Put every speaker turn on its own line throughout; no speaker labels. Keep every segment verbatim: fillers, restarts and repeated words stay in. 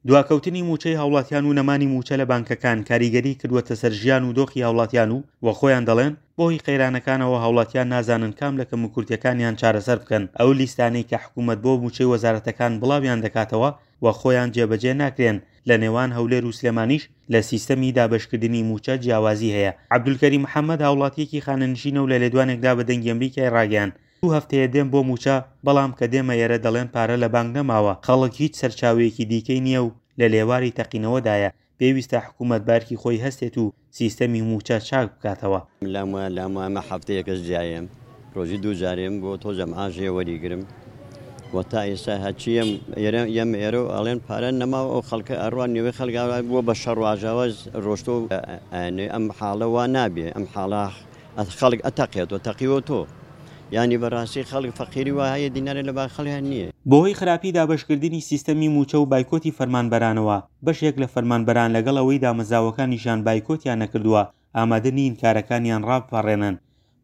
دواکەوتنی مووچەی هاوڵاتیان و نەمانی مووچە لە بانکەکان کاریگەری کردووەتە سەر ژیان و دۆخی هاوڵاتیان و وە خۆیان دەڵێن بەهۆی قەیرانەکانەوە هاوڵاتیان نازانن کام لە کەموکورتیەکانیان چارەسەر بکەن. ئەو لیستانەی کە حکوومەت بۆ مووچەی وەزارەتەکان بڵاویان دەکاتەوە و خۆیان جێبەجێ ناکرێن. لە نێوان هەولێر و سلێمانیش لە سیستەمی دابەشکردنی مووچە جیاوازی هەیە. عەبدولکەریم محەممەد هاوڵاتیەکی خانەنشینە و لە لێدوانێکدا بە دەنگی ئەمریکای ڕاگەیاند، دوو هەفتەیە دێم بۆ مووچە، بەڵام کە دێمە ئێرە دەڵێن پارە لە بانک نەماوە، خەڵک هیچ سەرچاوەیەکی دیکەی نییە و لە لێواری تەقینەوەدایە، پێویستە حکوومەت بە ئەرکی خۆی هەستێت و سیستەمی مووچە چاک بکاتەوە.
لام وایە لام وایە مە هەفتەیەکەش جیایم ڕۆژی دوو جارێم بۆ تۆزە معاشێ وەریگرم و تا ئێستا هەرچی ئێرە یەم ئێرە و ئەڵێن پارە نەماوە ئەو خەڵکە ئەڕوا نیوەی خەڵک بووە بە شەڕ و ئاژاوە ڕۆشتۆ ئەم حاڵە وا نابێ ئەم حاڵە خەڵک ئەتەقێتەوە تەقیوە تۆ یانی بەڕاستی خەڵک فەقیری وا هەیە دینارێ لە با خەڵیان نییە.
بەهۆی خراپی دابەشکردنی سیستەمی مووچە و بایکۆتی فەرمانبەرانەوە، بەشێک لە فەرمانبەران لەگەڵ ئەوەی دامەزراوەکانیشیان بایکۆتیان نەکردووە، ئامادە نین کارەکانیان ڕابپەڕێنن.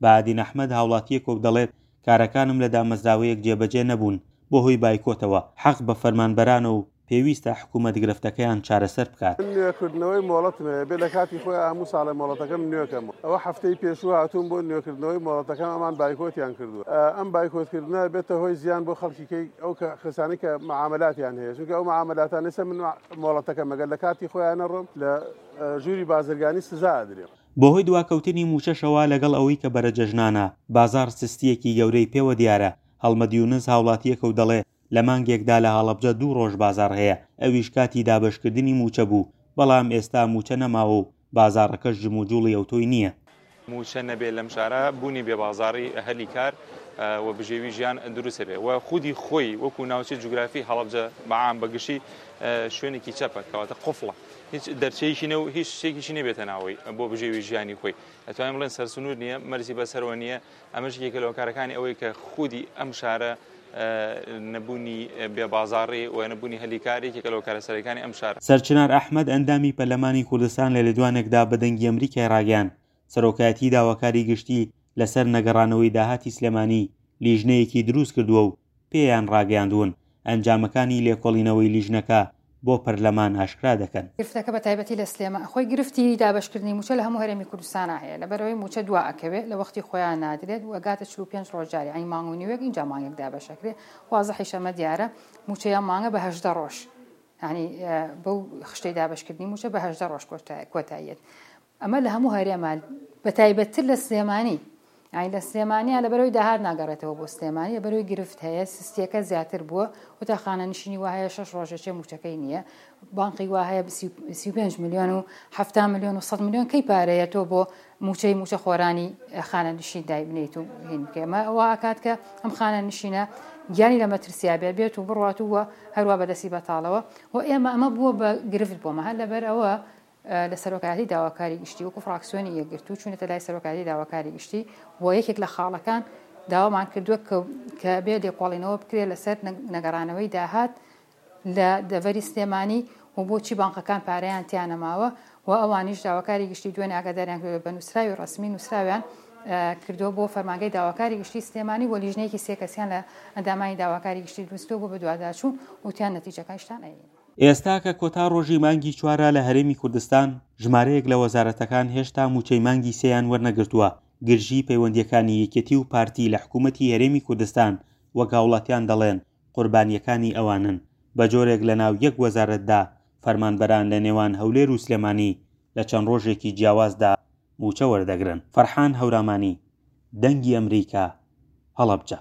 بەهادین ئەحمەد هاوڵاتییەکە و دەڵێت، کارەکانم لە دامەزراوەیەک جێبەجێ نەبوون بەهۆی بایکۆتەوە، حەق بە فەرمانبەرانە و پێویستە حکوومەت گرفتەکەیان چارەسەر بکات.
من نوێکردنەوەی مۆڵەتم هەیە، بێ لە کاتی خۆی هەموو ساڵێ مۆڵەتەکەم نوێکەمەوە. ئەوە هەفتەی پێشوو هاتووم بۆ نوێکردنەوەی مۆڵەتەکەم، ئەمان بایکۆتیان کردووە. ئەم بایکۆتکردنە بێتە هۆی زیان بۆ خەڵکی کەی ئەو کەسانی کە معاملاتیان هەیە، چونکە ئەو معاملاتانە ئێستا من مۆڵەتەکەم ئەگەر لە کاتی خۆیان نەڕۆم لە ژووری بازرگانی سزا ئەدرێم.
بەهۆی دواکەوتنی مووچەشەوە لەگەڵ ئەوەی کە بەرەجەژنانە، بازاڕ سستییەکی گەورەی پێوە دیارە. هەڵمەت یونس هاوڵاتییەکە و دەڵێ، لە مانگێکدا لە هەڵەبجە دوو ڕۆژ بازاڕ هەیە، ئەویش کاتی دابەشکردنی مووچە بوو، بەڵام ئێستا مووچە نەماوە و بازاڕەکەش جموجوڵی ئەوتۆی نییە.
مووچە نەبێ لەم شارە بوونی بێ بازاڕی هەلی کار و بژێوی ژیان دروستە بێ و خودی خۆی وەکو ناوچەی جوگرافی هەڵەبجە بەعام بەگشتی شوێنێکی چەپە، کەواتە قفڵە، هیچ دەرچەیەکی نە و هیچ شتێکیشی نەبێتە ناوەی بۆ بژێوی ژیانی خۆی. ئەتوانین بڵێن سەرسنوور نییە، مەرزی بەسەرەوە نییە. ئەمەش یەکێکە لە هۆکارەکانی ئەوەی کە خودی ئەم شارە نەبوونی بێبازاڕی و نەبوونی هەلی کار یەکێکە لە هۆکارە سەرەکانی ئەم شارە.
سەرچنار ئەحمەد ئەندامی پەرلەمانی کوردستان لە لێدوانێکدا بە دەنگی ئەمریکای ڕاگەیاند، سەرۆکایەتی داواکاری گشتی لەسەر نەگەڕانەوەی داهاتی سلێمانی لیژنەیەکی دروست کردووە و پێیان ڕاگەیاندوون ئەنجامەکانی لێکۆڵینەوەی لیژنەکە بۆ پەرلەمان ئاشکرا دەکەن.
گرفتەکە بە تایبەتی لە سلێمان خۆی گرفتی دابەشکردنی مووچە لە هەموو هەرێمی کوردستانە هەیە، لەبەرەوەی مووچە دوا ئەکەوێت لە وەختی خۆیان نادرێت و ئەگاتە چل و پێنج ڕۆژ جارێ، یعنی مانگ و نیوێک اینجا مانگێک دابەشەکرێت. وازحیش ئەمە دیارە مووچەیە مانگە بە هەژدە ڕۆژ، یعنی بەو خشتەی دابەشکردنی مووچە بە هەژدە ڕۆژ کۆتاییەت. ئەمە لە هەموو هەرێمان بە تایبەتتر لە سلێمانی، یعنی لە سلێمانیا لەبەرەوەی داهات ناگەڕێتەوە بۆ سلێمانی، لەبەرەوەی گرفت هەیە، سستیەکە زیاتر بووە و تا خانەنشینی وا هەیە شەش ڕۆژێکێ مووچەکەی نییە، بانقی وا هەیە سی و پێنج ملیۆن و حەفتا ملیۆن و سەد ملیۆن کەی پارەیە تۆ بۆ مووچەی مووچە خۆرانی خانەنشین دایبنیت و هین بکەی. ئەمە وا ئەکات کە ئەم خانەنشینە گیانی لە مەترسیا بێت، بێت و بڕوات و هەروە بەدەستی بەتاڵەوە. و ئێمە ئەمە بووە بە گرفت بۆمە، هەر لەبەر ئەوە لە سەرۆکایەتی داواکاری گشتی وەکو فراکسیۆنی یەکگرتوو چوونەتە لای سەرۆکایەتی داواکاری گشتی و یەکێک لە خاڵەکان داوامان کردووە کە بێ لێکۆڵینەوە بکرێت لەسەر نەگەڕانەوەی داهات لە دەڤەری سلێمانی و بۆچی بانقەکان پارەیان تیانەماوە و ئەوانیش داواکاری گشتی دوێنێ ئاگاداریان کردووە بە نووسراوی ڕەسمی نووسراویان کردووە بۆ فەرمانگەی داواکاری گشتی سلێمانی و لیژنەیەکی سێ کەسیان لە ئەندامانی داواکاری گشتی دروستکردووە بۆ بەدواداچوون وتیان نەتیجەکانیشتان ئەیین.
ئێستا کە کۆتا ڕۆژی مانگی چوارە لە هەرێمی کوردستان، ژمارەیەک لە وەزارەتەکان هێشتا مووچەی مانگی سێیان وەرنەگرتووە. گرژی پەیوەندیەکانی یەکێتی و پارتی لە حکوومەتی هەرێمی کوردستان وەک هاوڵاتیان دەڵێن قوربانیەکانی ئەوانن، بە جۆرێک لە ناو یەک وەزارەتدا فەرمانبەران لە نێوان هەولێر و سلێمانی لە چەند ڕۆژێکی جیاوازدا مووچە وەردەگرن. فەرحان هەورامانی، دەنگی ئەمریکا، هەڵەبجە.